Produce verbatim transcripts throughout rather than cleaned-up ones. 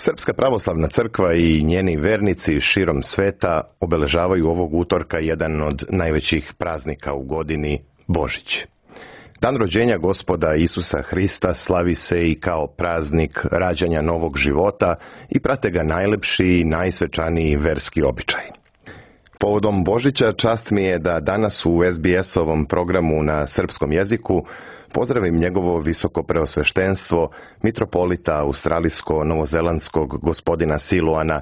Srpska pravoslavna crkva i njeni vernici širom sveta obeležavaju ovog utorka jedan od najvećih praznika u godini, Božić. Dan rođenja Gospoda Isusa Hrista slavi se i kao praznik rađanja novog života i prate ga najlepši i najsvečaniji verski običaj. Povodom Božića čast mi je da danas u es be es-ovom programu na srpskom jeziku pozdravim njegovo visoko preosveštenstvo, mitropolita australijsko-novozelandskog gospodina Siluana.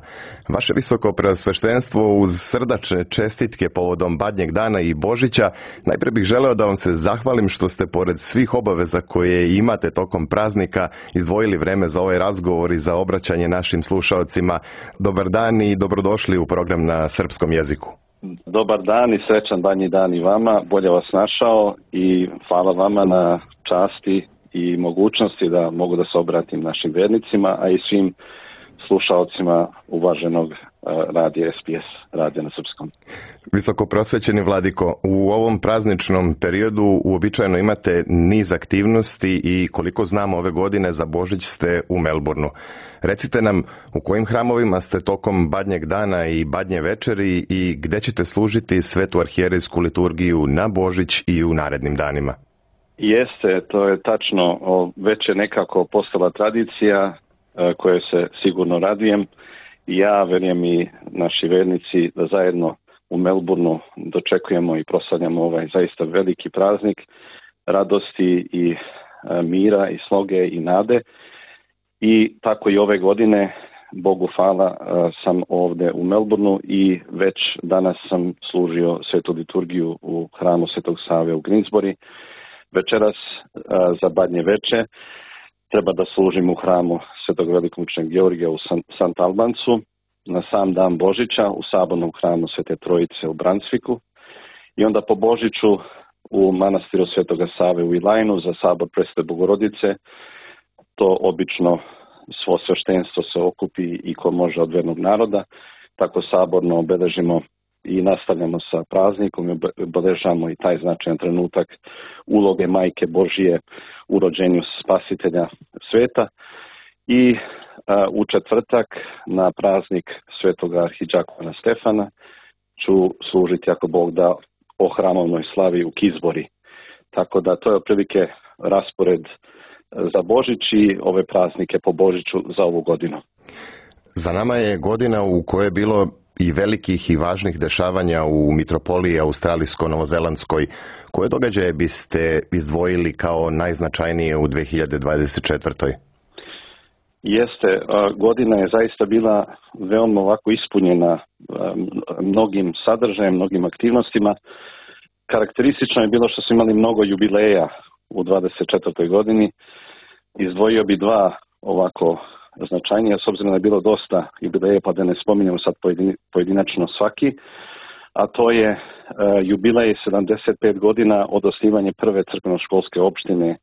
Vaše visoko preosveštenstvo, uz srdačne čestitke povodom Badnjeg dana i Božića, najprije bih želeo da vam se zahvalim što ste pored svih obaveza koje imate tokom praznika izdvojili vreme za ovaj razgovor i za obraćanje našim slušaocima. Dobar dan i dobrodošli u program na srpskom jeziku. Dobar dan i srećan Badnji dan i vama, bolje vas našao i hvala vama na časti i mogućnosti da mogu da se obratim našim vernicima, a i svim slušaocima uvaženog radija es be es, radija na srpskom. Visoko prosvećeni vladiko, u ovom prazničnom periodu uobičajeno imate niz aktivnosti i koliko znamo ove godine za Božić ste u Melbourneu. Recite nam u kojim hramovima ste tokom Badnjeg dana i Badnje večeri i gde ćete služiti svetu arhijerejsku liturgiju na Božić i u narednim danima? Jeste, to je tačno. Već je nekako postala tradicija koje se sigurno radujem. Ja, verujem i naši vernici, da zajedno u Melbourneu dočekujemo i proslavljamo ovaj zaista veliki praznik radosti i mira i sloge i nade. I tako i ove godine, Bogu hvala, sam ovde u Melbourneu i već danas sam služio svetu liturgiju u hramu Svetog Save u Greensbury. Večeras za Badnje veče treba da služim u hramu Svetog velikomučenog Georgija u Sant Albancu, na sam dan Božića u sabornom hramu Svete Trojice u Brunswicku i onda po Božiću u manastiru Svetoga Save u Ilajnu za sabor Presvete Bogorodice. To obično svo sveštenstvo se okupi i ko može od vernog naroda, tako saborno obeležimo i nastavljamo sa praznikom i obeležamo i taj značajan trenutak uloge Majke Božije u rođenju Spasitelja sveta. I a, u četvrtak na praznik Svetoga arhidžakona Stefana ću služiti, ako Bog da, o hramovnoj slavi u Kizbori. Tako da to je otprilike raspored za Božić i ove praznike po Božiću za ovu godinu. Za nama je godina u kojoj je bilo i velikih i važnih dešavanja u mitropoliji australijsko-novozelandskoj. Koje događaje biste izdvojili kao najznačajnije u dve hiljade dvadeset četvrtoj. Jeste, godina je zaista bila veoma ovako ispunjena mnogim sadržajem, mnogim aktivnostima. Karakteristično je bilo što su imali mnogo jubileja u dvadeset četvrtoj godini. Izdvojio bi dva ovako značajnija, s obzirom da je bilo dosta jubileja, pa da ne spominjamo sad pojedinačno svaki, a to je uh, jubilej sedamdeset pet godina od osnivanja prve crkveno-školske opštine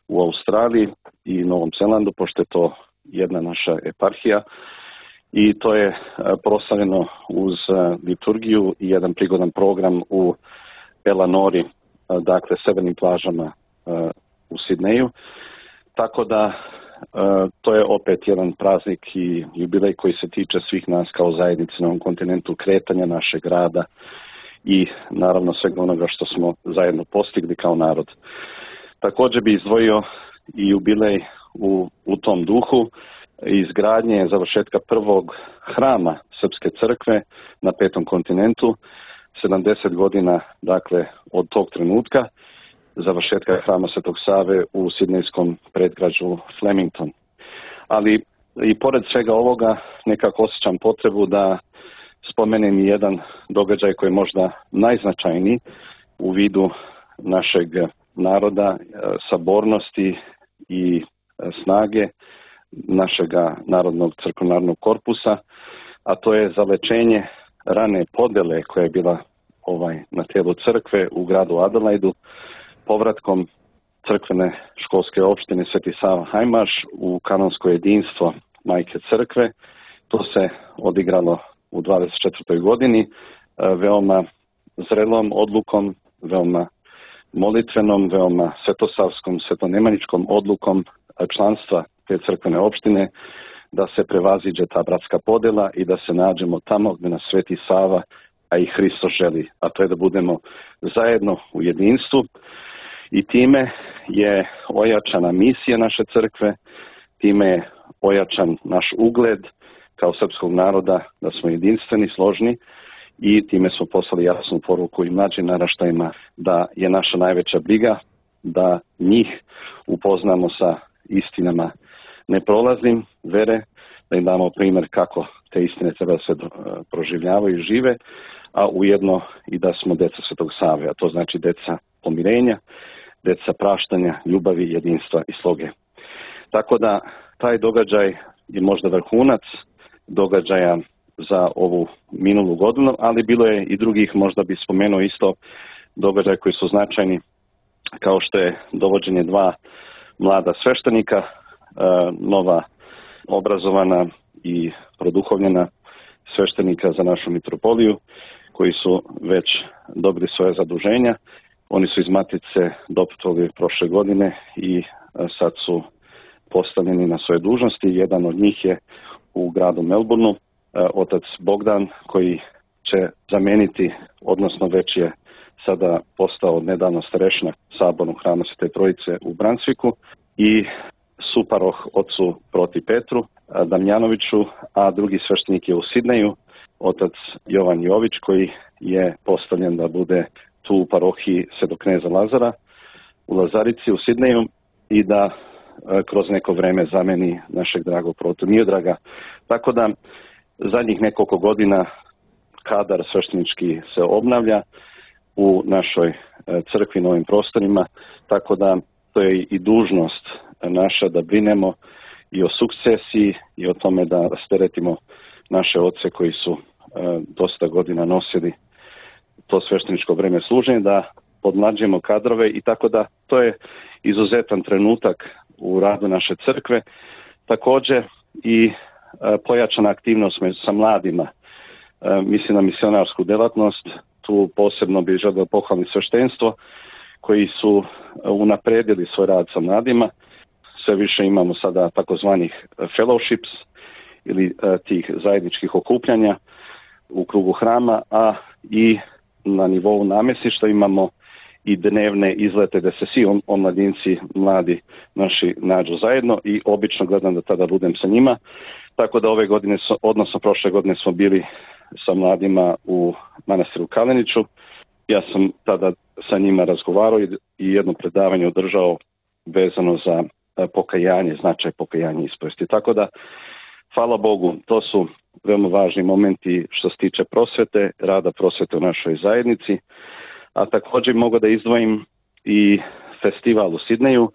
u Australiji i Novom Zelandu, pošto je to jedna naša eparhija, i to je uh, proslavljeno uz uh, liturgiju i jedan prigodan program u Elanori, uh, dakle severnim plažama uh, u Sidneju. Tako da Uh, to je opet jedan praznik i jubilej koji se tiče svih nas kao zajednice na ovom kontinentu, kretanja našeg grada i naravno svega onoga što smo zajedno postigli kao narod. Također bi izdvojio i jubilej u, u tom duhu izgradnje završetka prvog hrama Srpske crkve na petom kontinentu, sedamdeset godina dakle od tog trenutka, završetka hrama Svetog Save u sidnejskom predgrađu Flemington. Ali i pored svega ovoga nekako osjećam potrebu da spomenem i jedan događaj koji je možda najznačajniji u vidu našeg naroda, sabornosti i snage našega narodnog crkvenog korpusa, a to je zalečenje rane podele koja je bila ovaj na telu crkve u gradu Adelaidu, povratkom crkvene školske opštine Sveti Sava Hajmaš u kanonsko jedinstvo Majke crkve. To se odigralo u dvadeset četvrtoj godini veoma zrelom odlukom, veoma molitvenom, veoma svetosavskom, svetonemaničkom odlukom članstva te crkvene opštine da se prevaziđe ta bratska podjela i da se nađemo tamo gdje nas Sveti Sava, a i Hristos želi, a to je da budemo zajedno u jedinstvu i time je ojačana misija naše crkve, time je ojačan naš ugled kao srpskog naroda da smo jedinstveni, složni i time smo poslali jasnu poruku i mlađim naraštajima da je naša najveća briga da njih upoznamo sa istinama neprolaznim vere, da im damo primjer kako te istine treba da se proživljavaju i žive, a ujedno i da smo deca Svetog Save, a to znači deca pomirenja, deca praštanja, ljubavi, jedinstva i sloge. Tako da taj događaj je možda vrhunac događaja za ovu minulu godinu, ali bilo je i drugih, možda bi spomenuo isto događaje koji su značajni, kao što je dovođenje dva mlada sveštenika, nova obrazovana i produhovljena sveštenika za našu mitropoliju, koji su već dobili svoje zaduženja. Oni su iz Matice doputovali prošle godine i sad su postavljeni na svoje dužnosti. Jedan od njih je u gradu Melbourneu, otac Bogdan, koji će zameniti, odnosno već je sada postao nedavno starešina sabornog hrama Svete Trojice u Bransviku, i suparoh ocu Proti Petru Damjanoviću, a drugi sveštenik je u Sidneju, otac Jovan Jović, koji je postavljen da bude tu u parohiji Svetog kneza Lazara u Lazarici u Sidneju i da kroz neko vreme zameni našeg dragog Protu Miodraga. Tako da zadnjih nekoliko godina kadar sveštenički se obnavlja u našoj crkvi na ovim prostorima, tako da to je i dužnost naša da brinemo i o sukcesiji i o tome da rasteretimo naše oce koji su dosta godina nosili to svešteničko vreme služenja, da podmlađujemo kadrove i tako da to je izuzetan trenutak u radu naše crkve. Također i pojačana aktivnost sa mladima, mislim na misionarsku delatnost, tu posebno bih želio pohvaliti sveštenstvo koji su unapredili svoj rad sa mladima. Sve više imamo sada takozvanih fellowships ili tih zajedničkih okupljanja u krugu hrama, a i na nivou namjesništva imamo i dnevne izlete da se svi omladinci mladi naši nađu zajedno i obično gledam da tada budem sa njima. Tako da ove godine, odnosno prošle godine smo bili sa mladima u manastiru Kaleniću. Ja sam tada sa njima razgovarao i jedno predavanje održao vezano za pokajanje, značaj pokajanja i ispovesti. Tako da, hvala Bogu, to su veoma važni momenti što se tiče prosvete, rada prosvete u našoj zajednici, a također mogu da izdvojim i festival u Sidneju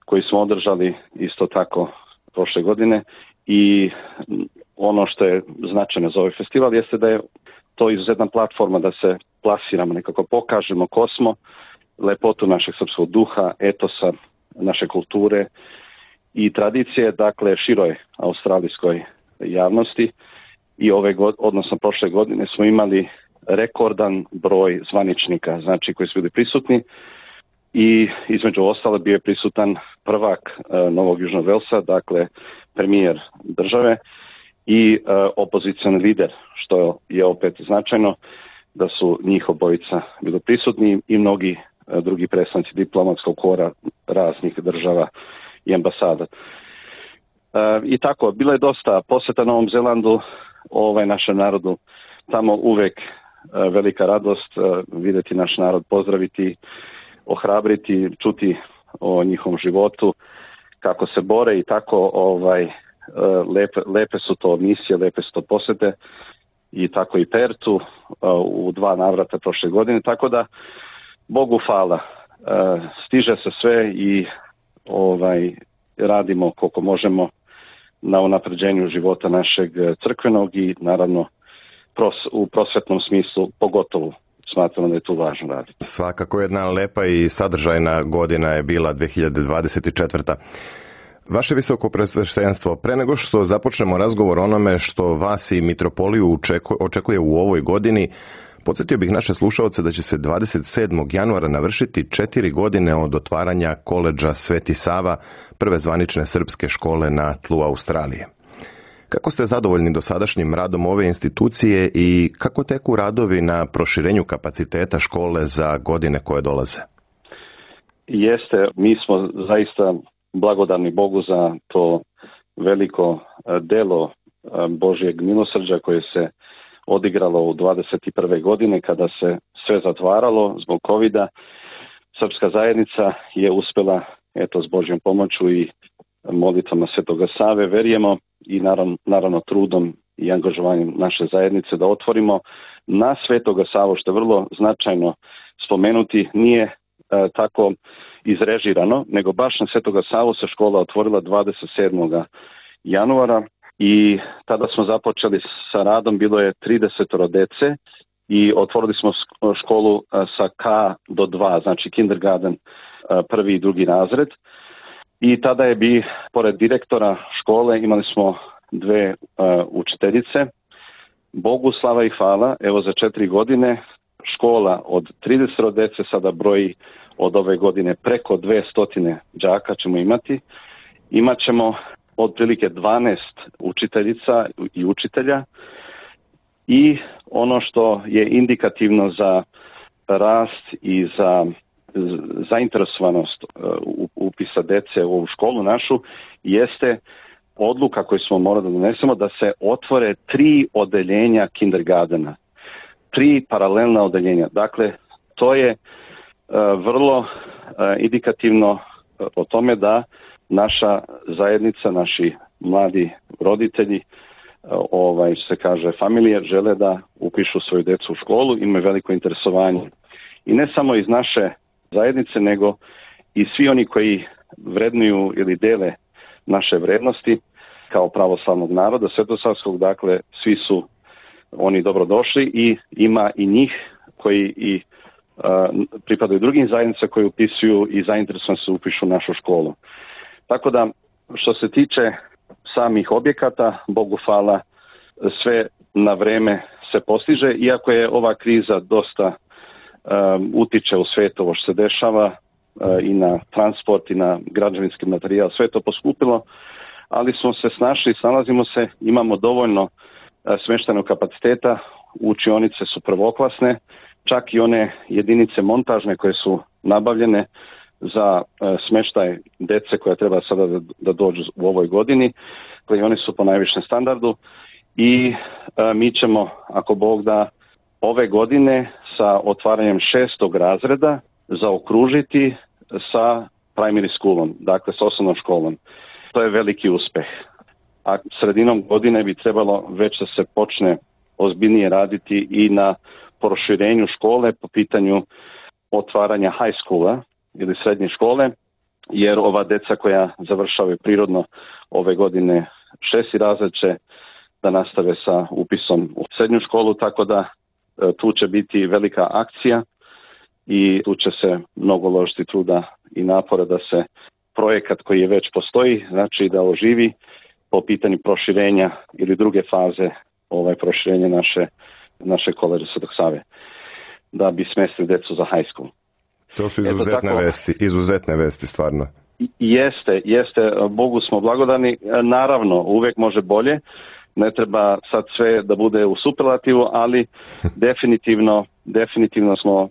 koji smo održali isto tako prošle godine i ono što je značajno za ovaj festival jeste da je to izuzetna platforma da se plasiramo, nekako pokažemo ko smo, lepotu našeg srpskog duha, etosa, naše kulture i tradicije, dakle široj australijskoj javnosti. I ove godine, odnosno prošle godine smo imali rekordan broj zvaničnika, znači koji su bili prisutni i između ostalo bio je prisutan prvak uh, Novog Južnog Velsa, dakle premijer države i uh, opozicioni lider, što je opet značajno da su njih obojica bili prisutni i mnogi uh, drugi predstavnici diplomatskog kora raznih država i ambasada. Uh, I tako, bilo je dosta posjeta Novom Zelandu, ovaj našem narodu, tamo uvek uh, velika radost uh, vidjeti naš narod, pozdraviti, ohrabriti, čuti o njihovom životu, kako se bore i tako ovaj lepe, lepe su to misije, lepe su to posjete i tako i Pertu u dva navrata prošle godine, tako da Bogu hvala, stiže se sve i ovaj radimo koliko možemo na unapređenju života našeg crkvenog i naravno pros, u prosvetnom smislu pogotovo. Smatramo da je tu važno raditi. Svakako jedna lepa i sadržajna godina je bila dve hiljade dvadeset četvrta. Vaše visoko presveštenstvo, pre nego što započnemo razgovor o onome što vas i mitropoliju očekuje u ovoj godini, podsjetio bih naše slušaoce da će se dvadeset sedmog januara navršiti četiri godine od otvaranja koledža Sveti Sava, prve zvanične srpske škole na tlu Australije. Kako ste zadovoljni dosadašnjim radom ove institucije i kako teku radovi na proširenju kapaciteta škole za godine koje dolaze? Jeste, mi smo zaista blagodarni Bogu za to veliko delo Božjeg milosrđa koje se odigralo u dvadeset prve godine kada se sve zatvaralo zbog covida. Srpska zajednica je uspjela, eto, s Božjom pomoću i molitvama Svetoga Save, verujemo, i naravno, naravno trudom i angažovanjem naše zajednice da otvorimo na Svetoga Savu, što je vrlo značajno spomenuti, nije e, tako izrežirano, nego baš na Svetoga Savu se škola otvorila dvadeset sedmog januara i tada smo započeli sa radom, bilo je trideset dece i otvorili smo školu sa K do dva, znači kindergarten, prvi i drugi razred. I tada je bi, pored direktora škole, imali smo dve uh, učiteljice. Bogu slava i hvala, evo za četiri godine škola od trideset dece sada broji od ove godine preko dvesta đaka ćemo imati. Imaćemo otprilike dvanaest učiteljica i učitelja i ono što je indikativno za rast i za zainteresovanost upisa dece u ovu školu našu jeste odluka koju smo morali da donesemo da se otvore tri odeljenja kindergartena, tri paralelna odeljenja. Dakle, to je uh, vrlo uh, indikativno uh, o tome da naša zajednica, naši mladi roditelji, uh, ovaj, se kaže familije, žele da upišu svoju decu u školu, imaju veliko interesovanje. I ne samo iz naše zajednice, nego i svi oni koji vrednuju ili dele naše vrednosti kao pravoslavnog naroda svetosavskog, dakle svi su oni dobrodošli i ima i njih koji i uh, pripadaju drugim zajednicama koji upisuju i zainteresovani se upišu u našu školu. Tako da što se tiče samih objekata, Bogu hvala, sve na vreme se postiže, iako je ova kriza dosta Um, utiče u svijetu ovo što se dešava uh, i na transport i na građevinski materijal, sve to poskupilo, ali smo se snašli, snalazimo se, imamo dovoljno uh, smještajnog kapaciteta, učionice su prvoklasne, čak i one jedinice montažne koje su nabavljene za uh, smještaj dece koja treba sada da, da dođu u ovoj godini, koji oni su po najvišem standardu i uh, mi ćemo, ako Bog da, ove godine sa otvaranjem šestog razreda zaokružiti sa primary schoolom, dakle s osnovnom školom. To je veliki uspeh. A sredinom godine bi trebalo već da se počne ozbiljnije raditi i na proširenju škole po pitanju otvaranja high schoola ili srednje škole, jer ova deca koja završavaju prirodno ove godine šesti razred će da nastave sa upisom u srednju školu, tako da tu će biti velika akcija i tu će se mnogo uložiti truda i napora da se projekat koji je već postoji, znači da oživi po pitanju proširenja ili druge faze ovaj proširenja naše, naše koleđa Svetog Save, da bi smestili decu za high school. To su izuzetne tako, vesti, izuzetne vesti stvarno. Jeste, jeste, Bogu smo blagodani, naravno uvijek može bolje, ne treba sad sve da bude u superlativu, ali definitivno, definitivno smo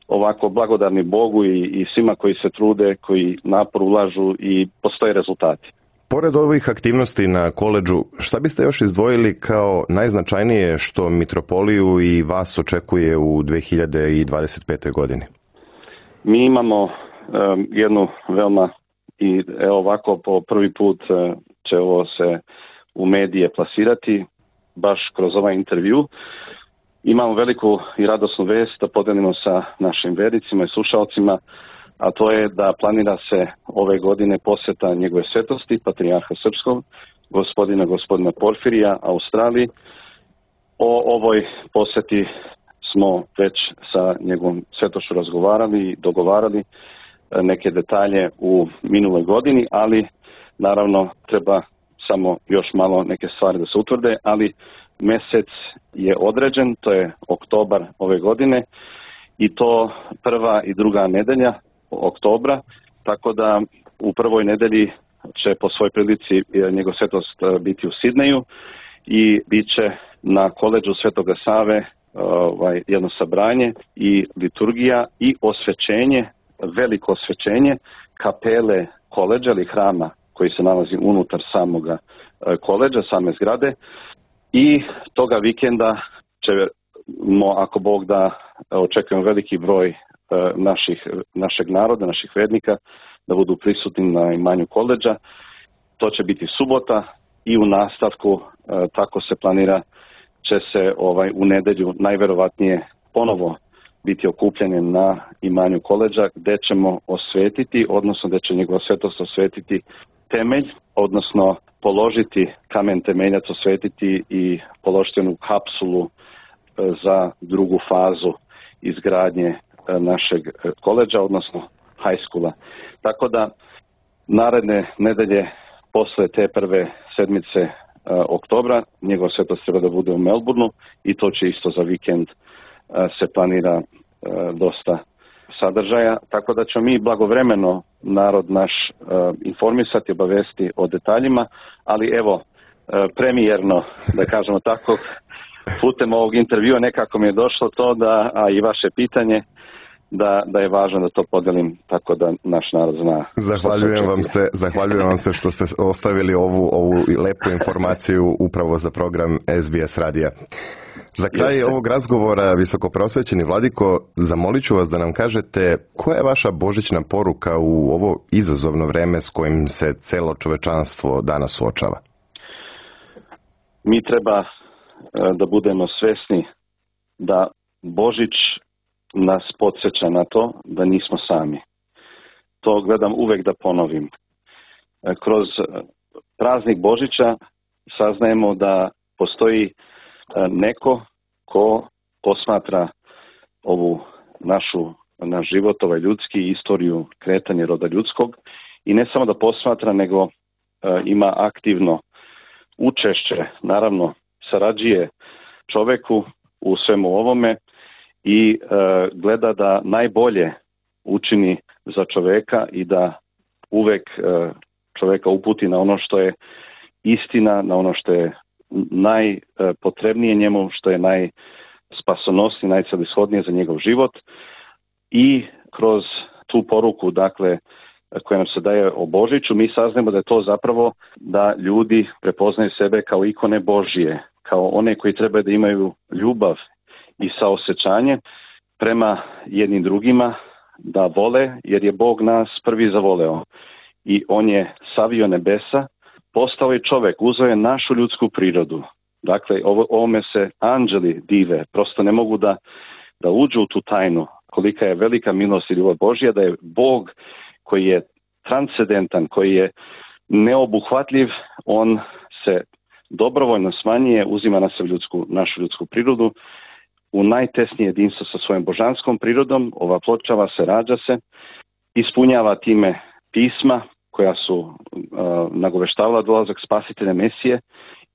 ovako blagodarni Bogu i, i svima koji se trude, koji napor ulažu i postoje rezultati. Pored ovih aktivnosti na koledžu, šta biste još izdvojili kao najznačajnije što mitropoliju i vas očekuje u dve hiljade dvadeset pete. godini? Mi imamo um, jednu veoma, i evo ovako po prvi put uh, će ovo se u medije plasirati, baš kroz ovaj intervju. Imamo veliku i radosnu vest da podelimo sa našim vernicima i slušalcima, a to je da planira se ove godine posjeta njegove svetosti, patrijarha srpskog, gospodina gospodina Porfirija, Australiji. O ovoj posjeti smo već sa njegovom svetošću razgovarali i dogovarali neke detalje u minuloj godini, ali naravno treba samo još malo neke stvari da se utvrde, ali mjesec je određen, to je oktobar ove godine i to prva i druga nedelja oktobra, tako da u prvoj nedelji će po svoj prilici njegov svetost biti u Sidneju i bit će na koledžu Svetoga Save ovaj, jedno sabranje i liturgija i osvećenje, veliko osvećenje kapele koledža ili hrama koji se nalazi unutar samoga koledža, same zgrade. I toga vikenda ćemo, ako Bog da, očekujemo veliki broj naših, našeg naroda, naših vernika da budu prisutni na imanju koledža. To će biti subota i u nastavku, tako se planira, će se ovaj u nedelju najverovatnije ponovo biti okupljanje na imanju koledža gdje ćemo osvetiti, odnosno gdje će njegova svetost osvetiti temelj, odnosno položiti kamen temeljac, osvetiti i položiti onu kapsulu za drugu fazu izgradnje našeg koledža, odnosno high schoola. Tako da naredne nedelje posle te prve sedmice uh, oktobra njegova svetost treba da bude u Melbourneu i to će isto za vikend uh, se planira uh, dosta sadržaja, tako da ćemo mi blagovremeno narod naš uh, informisati, obavesti o detaljima, ali evo, uh, premijerno, da kažemo tako, putem ovog intervjua nekako mi je došlo to da, a i vaše pitanje, da, da je važno da to podelim tako da naš narod zna. Zahvaljujem vam se, zahvaljujem vam se što ste ostavili ovu, ovu lepu informaciju upravo za program S B S radija. Za kraj Jeste. ovog razgovora, visokoprosvećeni vladiko, zamolit ću vas da nam kažete koja je vaša božićna poruka u ovo izazovno vreme s kojim se celo čovečanstvo danas suočava? Mi treba da budemo svesni da Božić nas podsjeća na to da nismo sami. To gledam uvek da ponovim. Kroz praznik Božića saznajemo da postoji neko ko posmatra ovu našu, naš život, ovaj ljudski, istoriju kretanja roda ljudskog i ne samo da posmatra, nego ima aktivno učešće, naravno sarađuje čoveku u svemu ovome i e, gleda da najbolje učini za čoveka i da uvek e, čoveka uputi na ono što je istina, na ono što je najpotrebnije njemu, što je najspasonosnije, najcelishodnije za njegov život i kroz tu poruku, dakle, koja nam se daje o Božiću, mi saznajemo da je to zapravo da ljudi prepoznaju sebe kao ikone Božije, kao one koji treba da imaju ljubav i saosećanje prema jednim drugima, da vole, jer je Bog nas prvi zavoleo. I on je savio nebesa, postao je čovek, uzeo je našu ljudsku prirodu. Dakle, ovo, ovome se anđeli dive, prosto ne mogu da, da uđu u tu tajnu, kolika je velika milost i ljubav Božja, da je Bog koji je transcendentan, koji je neobuhvatljiv, on se dobrovoljno smanjuje, uzima na sebe ljudsku, našu ljudsku prirodu, u najtesnije jedinstvo sa svojom božanskom prirodom, ova pločava se, rađa se, ispunjava time pisma koja su uh, nagoveštavala dolazak spasitelja Mesije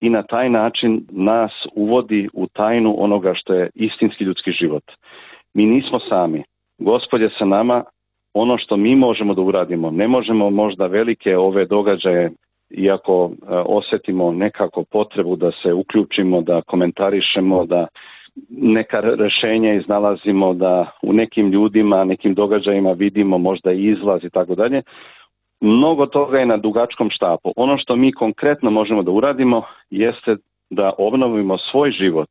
i na taj način nas uvodi u tajnu onoga što je istinski ljudski život. Mi nismo sami. Gospod je sa nama. Ono što mi možemo da uradimo, ne možemo možda velike ove događaje, iako uh, osetimo nekako potrebu da se uključimo, da komentarišemo, da neka rešenja iznalazimo, da u nekim ljudima, nekim događajima vidimo možda i izlaz i tako dalje. Mnogo toga je na dugačkom štapu. Ono što mi konkretno možemo da uradimo jeste da obnovimo svoj život,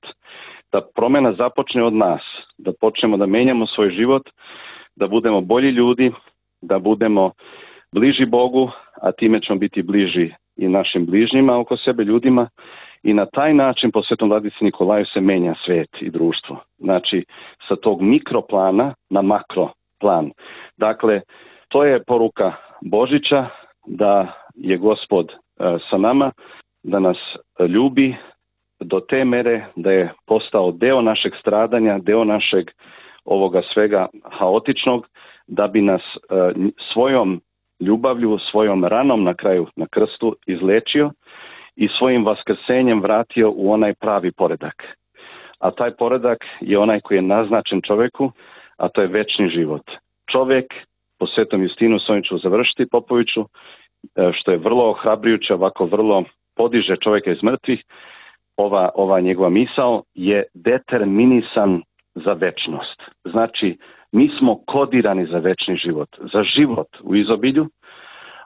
da promena započne od nas, da počnemo da menjamo svoj život, da budemo bolji ljudi, da budemo bliži Bogu, a time ćemo biti bliži i našim bližnjima oko sebe, ljudima, i na taj način po Svetom Vladici Nikolaju se menja svet i društvo. Znači, sa tog mikroplana na makroplan. Dakle, to je poruka Božića, da je Gospod e, sa nama, da nas ljubi do te mere da je postao deo našeg stradanja, deo našeg ovoga svega haotičnog, da bi nas e, svojom ljubavlju, svojom ranom na kraju na krstu izlečio i svojim vaskrsenjem vratio u onaj pravi poredak. A taj poredak je onaj koji je naznačen čoveku, a to je večni život. Čovek, po Svetom Justinu, s ovim ću završiti, Popoviću, što je vrlo ohrabrujuće, ovako vrlo podiže čovjeka iz mrtvih, ova, ova njegova misao je determinisan za večnost. Znači, mi smo kodirani za večni život, za život u izobilju,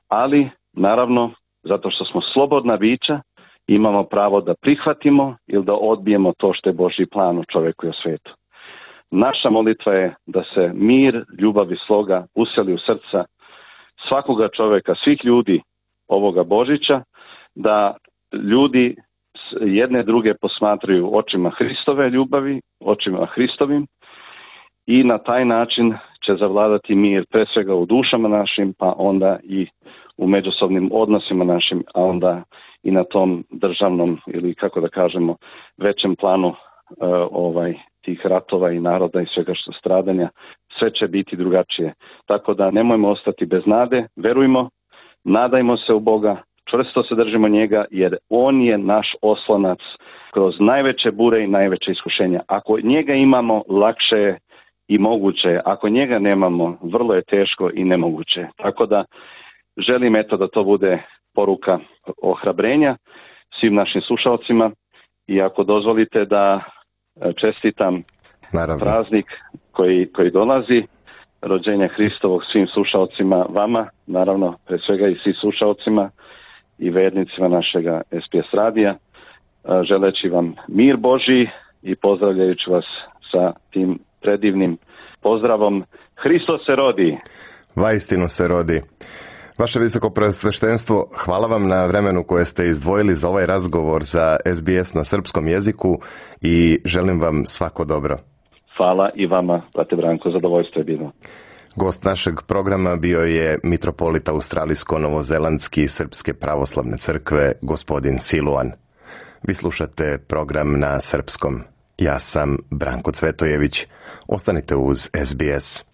ali naravno, zato što smo slobodna bića, imamo pravo da prihvatimo ili da odbijemo to što je Božji plan u čovjeku i u svijetu. Naša molitva je da se mir, ljubav i sloga useli u srca svakoga čovjeka, svih ljudi ovoga Božića, da ljudi jedne druge posmatraju očima Hristove ljubavi, očima Hristovim i na taj način će zavladati mir pre svega u dušama našim, pa onda i u međusobnim odnosima našim, a onda i na tom državnom ili kako da kažemo većem planu uh, ovaj tih ratova i naroda i svega što stradanja, sve će biti drugačije. Tako da nemojmo ostati bez nade, verujmo, nadajmo se u Boga, čvrsto se držimo njega jer on je naš oslonac kroz najveće bure i najveće iskušenja. Ako njega imamo, lakše je i moguće je. Ako njega nemamo, vrlo je teško i nemoguće. Tako da želim eto da to bude poruka ohrabrenja svim našim slušalcima i ako dozvolite da čestitam Naravno. praznik koji, koji dolazi, rođenja Hristovog svim slušalcima, vama, naravno, pre svega i svim slušalcima i vernicima našega S B S radija, želeći vam mir Božji i pozdravljajući vas sa tim predivnim pozdravom. Hristos se rodi! Vaistinu se rodi. Vaše visoko preosveštenstvo, hvala vam na vremenu koje ste izdvojili za ovaj razgovor za S B S na srpskom jeziku i želim vam svako dobro. Hvala i vama, brate Branko, zadovoljstvo je bilo. Gost našeg programa bio je mitropolit australijsko-novozelandski Srpske pravoslavne crkve, gospodin Siluan. Vi slušate program na srpskom. Ja sam Branko Cvetojević. Ostanite uz S B S.